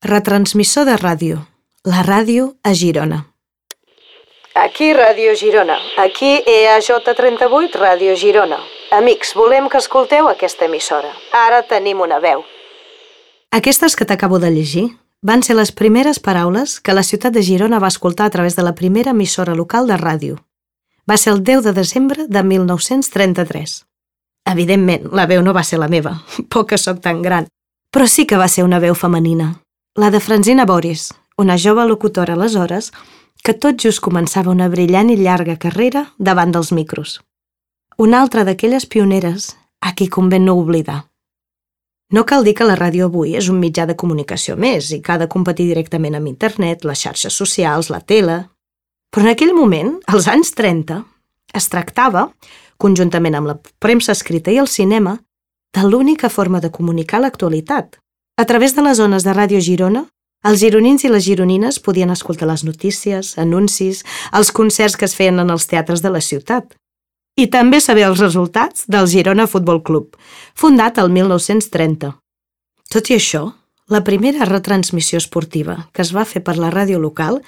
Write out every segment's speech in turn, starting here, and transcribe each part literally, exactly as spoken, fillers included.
Retransmissor de ràdio. La ràdio a Girona. Aquí Ràdio Girona. Aquí E A J trenta-vuit, Ràdio Girona. Amics, volem que escolteu aquesta emissora. Ara tenim una veu. Aquestes que t'acabo de llegir van ser les primeres paraules que la ciutat de Girona va escoltar a través de la primera emissora local de ràdio. Va ser el deu de desembre de mil nou-cents trenta-tres. Evidentment, la veu no va ser la meva, poc que sóc tan gran, però sí que va ser una veu femenina. La de Francina Boris, una jove locutora aleshores que tot just començava una brillant i llarga carrera davant dels micros. Una altra d'aquelles pioneres a qui convé no oblidar. No cal dir que la ràdio avui és un mitjà de comunicació més i que ha de competir directament amb internet, les xarxes socials, la tele. Però en aquell moment, als anys trenta, es tractava, conjuntament amb la premsa escrita i el cinema, de l'única forma de comunicar l'actualitat. A través de les ones de Ràdio Girona, els gironins i les gironines podien escoltar les notícies, anuncis, els concerts que es feien en els teatres de la ciutat. I també saber els resultats del Girona Futbol Club, fundat el mil nou-cents trenta. Tot i això, la primera retransmissió esportiva que es va fer per la ràdio local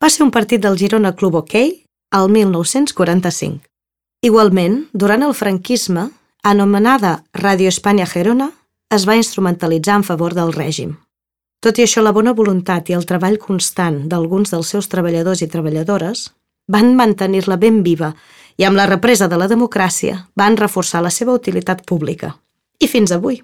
va ser un partit del Girona Club Hoquei el mil nou-cents quaranta-cinc. Igualment, durant el franquisme, anomenada Ràdio Espanya Gerona, es va instrumentalitzar en favor del règim. Tot i això, la bona voluntat i el treball constant d'alguns dels seus treballadors i treballadores van mantenir-la ben viva i amb la represa de la democràcia van reforçar la seva utilitat pública. I fins avui.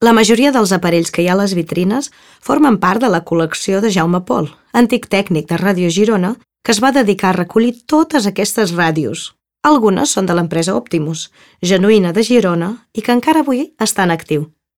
La majoria dels aparells que hi ha a les vitrines formen part de la col·lecció de Jaume Pol, antic tècnic de Ràdio Girona, que es va dedicar a recollir totes aquestes ràdios. Algunes són de l'empresa Optimus, genuïna de Girona i que encara avui està en actiu.